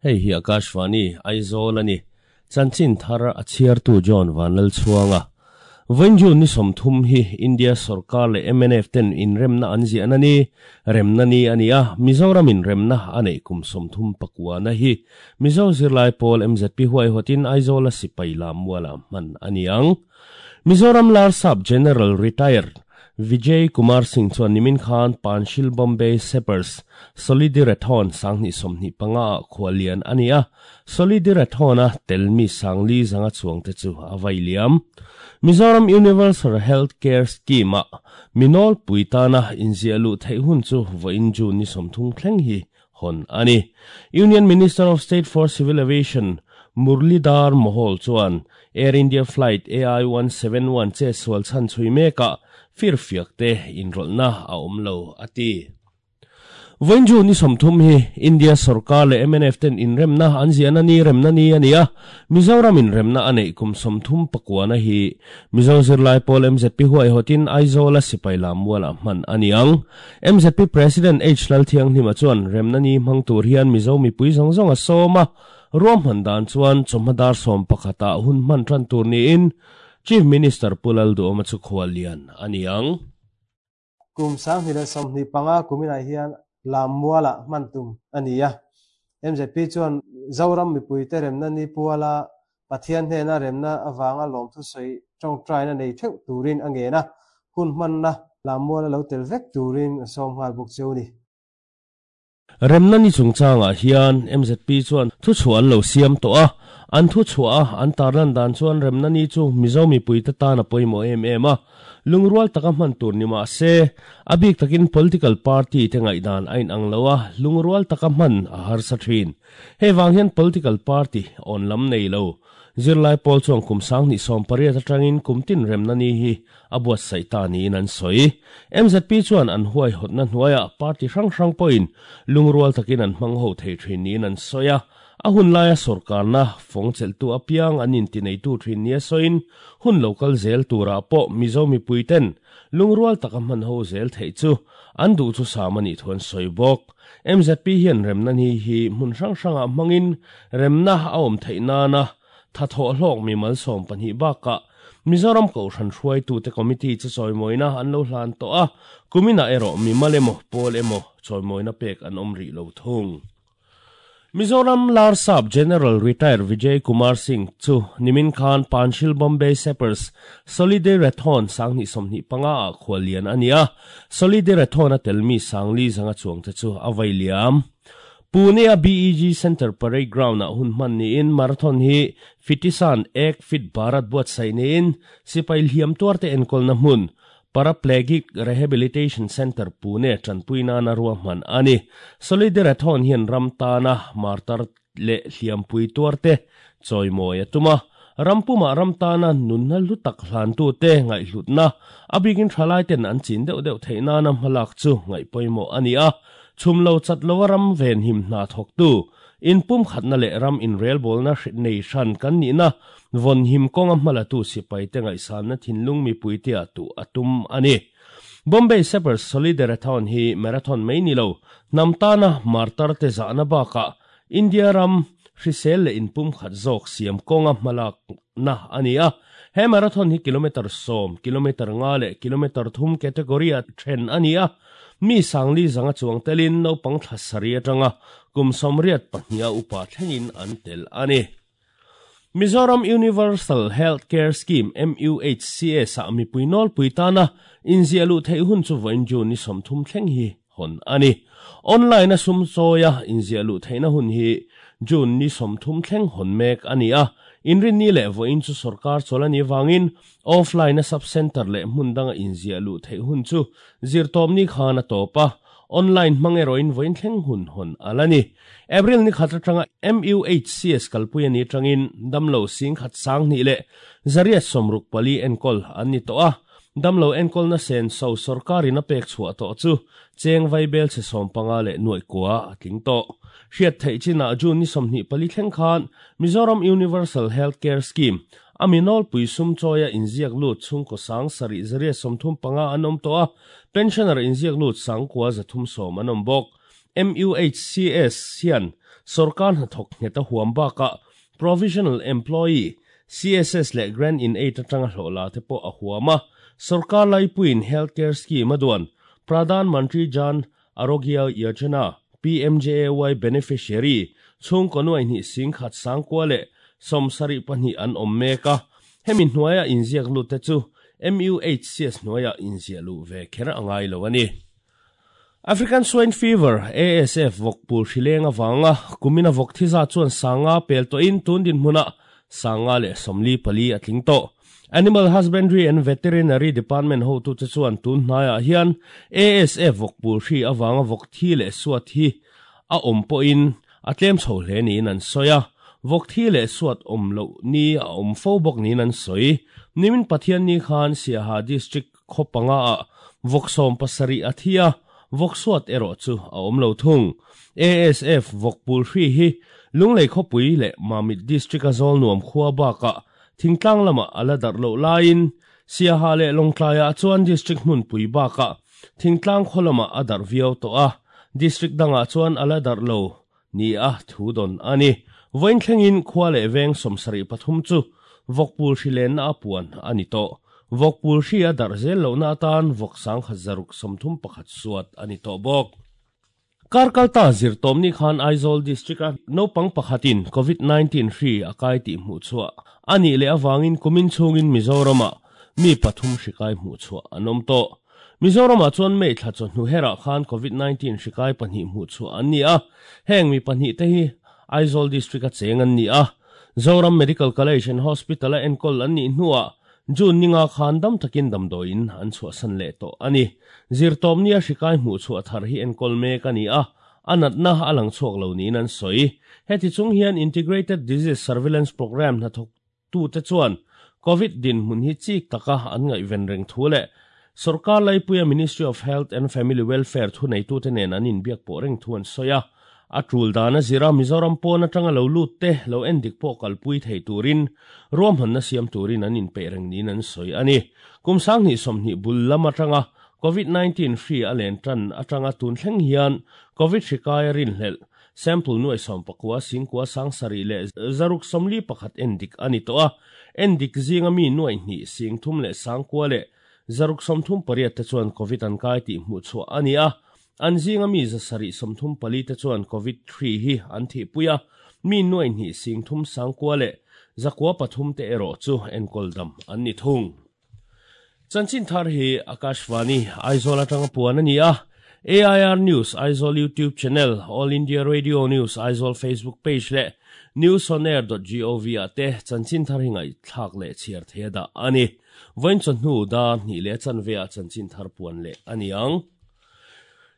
Hei hi Akashvani, Aizawl a ni. Chanchin thar a chhiartu John Vanlalchhuanga. Vawiin June ni 30 hi India sorkar leh mnf ten inremna an ziahna ni, remna ni a ni a, Mizoram inremna a neih kum 39 na hi Mizo zirlai pawl MZP huaihawtin Aizawla sipai lam mualah hman a ni ang. Mizoram Larsap General Retired Vijay Kumar Singh chuan nimin khan Panchsheel Bombay Sappers Solidirathon 2025 ah khuallian a ni a, Solidirathon a tel mi 4000 zanga chuangte chu a vai liam. Mizoram Universal Health Care Scheme ah mi nawlpui tana inziah luh theih hun chu vawiin June ni 30 thleng hi hawn a ni. Union Minister of State for Civil Aviation Murlidhar Mohol chuan Air India Flight AI 171 che sual chhan chhui mekah firfiak te inrawlhna a awm lo a ti. Vawiin June ni 30 hi India sorkar leh MNF ten inremna an ziahna ni remna ni a ni a, Mizoram inremna a neih kum 39 na hi Mizo zirlai pawl MZP huaihawtin Aizawla sipai lam mualah hman a ni ang. MZP President H Lalthianghlima chuan remna ni hmang tur hian Mizo mipui zawng zawng a sawm a, ruam hman dan chuan chawhma dar 11 ah hun hman tan tur niin Chief Minister Pu Lalduhoma chu khuallian a ni ang. Kum 2025 kuminah hian lam mualah hman tum a ni a. MZP chuan Zoram mipuite remna ni puala Pathian hnena remna avanga lawmthu sawi tawngtaina nei theuh turin a ngen a, hun hmanna lam muala lo tel vek turin a sawm nghal bawk cheu ni. Remna ni chungchangah hian MZP chuan thu chhuah an lo siam tawh a, an thu chhuah a an tarlan dan chuan remna ni chu Mizo mipuite tan a pawimawh em em a, lungrual taka hman tur ni mah se, a bik takin political party te ngaihdan a inang lo a, lungrual taka hman a harsa thin. Hei vang hian political party awn lam nei lo. Zirlai pawl chuan kum 2018 atangin kum tin remna ni hi a buatsaih ta niin an sawi. MZP chuan an huaihawtna hnuaiah party hrang hrang pawhin lungrual takin an hmang ho thei thin niin an sawi a, a hun laia sorkarna fawng chelhtu apiang an intineitu thin nia sawiin hun lo kal zel turah pawh Mizo mipuiten lungrual taka hman ho zel theih chu an duh chu sam a nih thu an sawi bawk. MZP hian remna ni hi hmun hrang hrangah hmangin remna a awm theih nana tha thawh hlawk mi mal 12 bakah Mizoram Kohhran hruaitute committee chu chawimawina an lo hlan tawh a, kuminah erawh mi mal emaw pawl emaw chawimawina pek an awm rih lo thung. Mizoram Larsap General Retired Vijay Kumar Singh chu nimin khan Panchsheel Bombay Sappers Solidirathon 2025 ah khuallian a ni a, Solidirathon a tel mi 4000 zanga chuangte chu a vai liam. Pune a BEG Center Parade Ground ah hun hman niin marathon hi Fitisan Ek Fit Bharat buatsaih niin sipai hliam tuarte enkawlna hmun Paraplegic Rehabilitation Center Pune tanpui nana rua hman a ni. Solidirathon hian ram tana martar leh hliampui tuarte chawimawi a tum a, rampumah ram tana nunna hlu tak hlantu te ngaihhlutna a bikin thalai ten an chin deuh deuh theih nana hmalak chu ngaihpawimawh a ni a, chhum lo chat loa ram ven him hna thawktu inpum khatna leh ram inrelbawlna nei hran kan nihna vawn him kawnga hmalatu sipai te ngaihsanna thinlung mipui te ah tu a tum a ni. Bombay Sappers Solidarathon hi marathon mai ni lo, hnam tana martar te zahna bakah India ram hrisel leh inpum khat zawk siam kawnga hmalak na a ni a. He marathon hi kilometer 10, kilometer 5 leh kilometer 3 category a then a ni a. Mi 4000 zanga chuang telin naupang thla sari atanga kum 82 a upa thlengin an tel a ni. Mizoram Universal Health Care Scheme MUHCS ah mipui nawlpui tana inziah luh theih hun chu vawiin June ni 30 thleng hi hawn a ni. Online a sum chawia inziah luh theihna hun hi June ni 30 thleng hawn mek a ni a, inrin ni leh vawiin chu sorkar chawl a ni wangin offline a sub center leh hmun danga inziah luh theih hun chu zirtawp ni khan a tawp a, online hmang erawhin vawiin thleng hun hawn ala ni. April ni khat atanga MUHCS kalpui ani tangin damlo sing khat 2000 leh 864 enkawl an ni tawh a, damlo enkawl na sen so sorkarin a pek chhuah tawh chu cheng vaibel che 15 leh nuai kwa a tling tawh. Hriat theih chinah June ni 24 thleng khan Mizoram Universal Health Care Scheme aminol pui sum chawia inziak lut chhungkaw 7335 an awm tawh a, pensioner inziak lut 9310 an awm bawk. MUHCS hian sorkar hnathawk nghet a huam bakah Provisional Employee, CSS leh Grant in Aid atanga hlawh la te pawh a huam a. Sorkar laipuiin Health Care Scheme a duan Pradhan Mantri Jan Arogya Yojana, PMJAY, beneficiary chhungkaw nuai hnih singkhat sangkua leh 72 an awm mek a. Hemi hnuaia inziak lut te chu MUHCS hnuaia inziah luh ve kher a ngai lo a ni. African Swine Fever, ASF, vawkpul hrileng avanga kumina vawk thi zat chuan sanga pel tawhin tun dinhmunah 144 a tling tawh. Animal Husbandry and Veterinary Department hotute chuan tun hnaiah hian ASF vawkpul hri avanga vawk thi leh suat hi a awm pawhin a tlem chho hle niin an sawi a. Vawk thi leh suat awm loh ni a awm fo bawk niin an sawi. Nimin Pathianni khan Siaha District khaw panga ah vawk 17 a thi a, vawk suat erawh chu a awm lo thung. ASF vawkpul hri hi Lunglei khawpui leh Mamit District a zawl nuam khua bakah thingtlang lamah a la darh loh laiin Siaha leh Lawngtlaiah chuan District hmunpui bakah thingtlang khaw lamah a darh viau tawh a, District dangah chuan a la darh lo ni a thu dawn a ni. Vawiin thlengin khua leh veng 73 chu vawkpul hri lenna a puan a ni tawh. Vawkpul hri a darh zel lohna atan vawk 1631 suat a ni tawh bawk. Kar kalta zirtawmni khan Aizawl District a naupang pakhatin Covid-19 hri a kai tih hmuh chhuah a nih leh avangin kumin chhungin Mizoramah mi pathum hri kai hmuh chhuah an awm tawh. Mizoramah chuan May thla chawhnu herah khan Covid-19 hri kai pahnih hmuh chhuah an ni a, heng mi pahnih te hi Aizawl District a cheng an ni a. Zoram Medical College and Hospital a enkawl an nih hnuah June ninga khan dam takin damdawiin an chhuahsan leh tawh a ni. Zirtawpni a hri kai hmuh chhuah thar hi enkawl mek a ni a, a natna a lang chhuak lo niin an sawi. Heti chung hian Integrated Disease Surveillance Programme hnathawktute chuan Covid dinhmun hi chik taka an ngaihven reng thu leh sorkar laipuia Ministry of Health and Family Welfare thuneitute nen an inbiak pawh reng thu an sawi a. A tul dan a zir a, Mizoram pawn atanga lo lut te lo endik pawh kalpui thei turin ruahmanna siam turin an inpeih reng niin an sawi a ni. Kum 2020 bul lam atanga Covid-19 hri a len tan atanga tun thleng hian Covid hri kai a rinhlelh sample nuai 19 singkua 7 leh 641 endik a ni tawh a. Endik zinga mi nuai hnih sing thum leh sangkua leh 638 te chuan Covid an kai tih hmuh chhuah a ni a. An zinga mi 734 te chuan Covid-3 hi an thihpui a, mi nuai hnih sing thum sangkua leh 903 te erawh chu enkawl dam an ni thung. Chanchin thar hi Akashvani Aizawl atanga puan a ni a. AIR News Aizawl YouTube channel, All India Radio News Aizawl Facebook page leh newsonair.gov ah te chanchin thar hi ngaihthlak leh chhiar thei a dah a ni. Vawiin chawhnu dar hnih leh chanve ah chanchin thar puan leh a ni ang.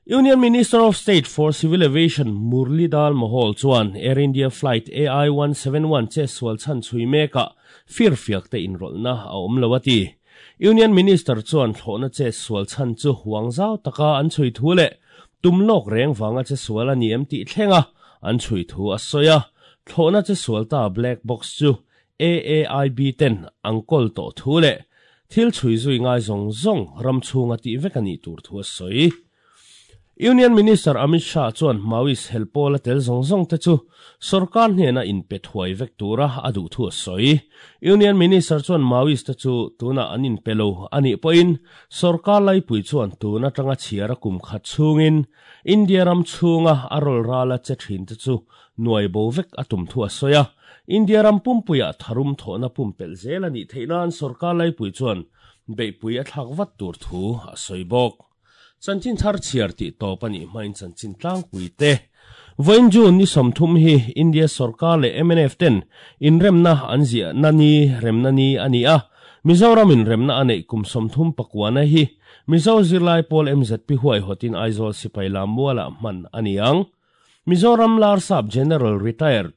Union Minister of State for Civil Aviation Murlidhar Mohol chuan Air India Flight AI-171 che sual chhan chhui mekah firfiak te inrawlhna a awm lo a ti. Union Minister chuan thlawhna che sual chhan chu huang zau taka an chhui thu leh tum lawk reng vanga che sual a ni em tih thlenga an chhui thu a sawi a. Thlawhna che sual ta black box chu AAIB ten an kawl tawh thu leh thil chhui zui ngai zawng zawng ram chhunga tih vek a nih tur thu a sawi. Union Minister Amit Shah chuan Maoist helpawl a tel zawng zawng te chu sorkar hnena inpe thuai vek tura a duh thu a sawi. Union Minister chuan Maoist te chu tunah an inpe lo a nih pawhin sorkar laipui chuan tun atanga chhiar a kum khat chhungin India ram chhunga a rawl rala che thin te chu nuai bo vek a tum thu a sawi a. India ram pumpuiah tharum thawhna pumpelh zel a nih theih nan sorkar laipui chuan beihpui a thlak vat tur thu a sawi bawk. Chanchin thar chhiar tih tawp a nih hmain chanchin tlangpui te. Vawiin June ni 30 hi India sorkar leh MNF ten inremna an ziahna ni remna ni a ni a. Mizoram inremna a neih kum 39 na hi Mizo zirlai pawl MZP huaihawtin Aizawl sipai lam mualah hman a ni ang. Mizoram Larsap General Retired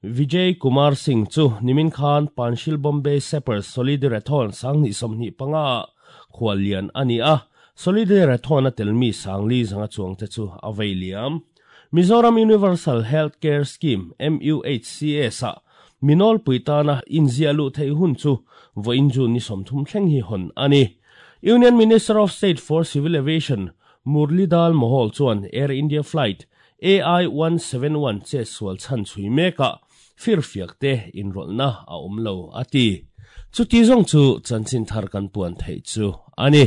Vijay Kumar Singh chu nimin khan Panchsheel Bombay Sappers Solidarathon 2025 ah khual lian a ni a. Solidarathon a telmi 400 chuang te chu a vei liam. Mizoram Universal Health Care Scheme MUHCS ah minol puitana inzia lu thei hun chu vawiin June ni 30 thleng hi hawn a ni. Union Minister of State for Civil Aviation Murlidhar Mohol chuan Air India Flight AI 171 chetsual chhan chhui mekah firfiakte inrawlhna a awm lo, a ti. Chuti zawng chu chanchin thar kan puan theih chu a ni.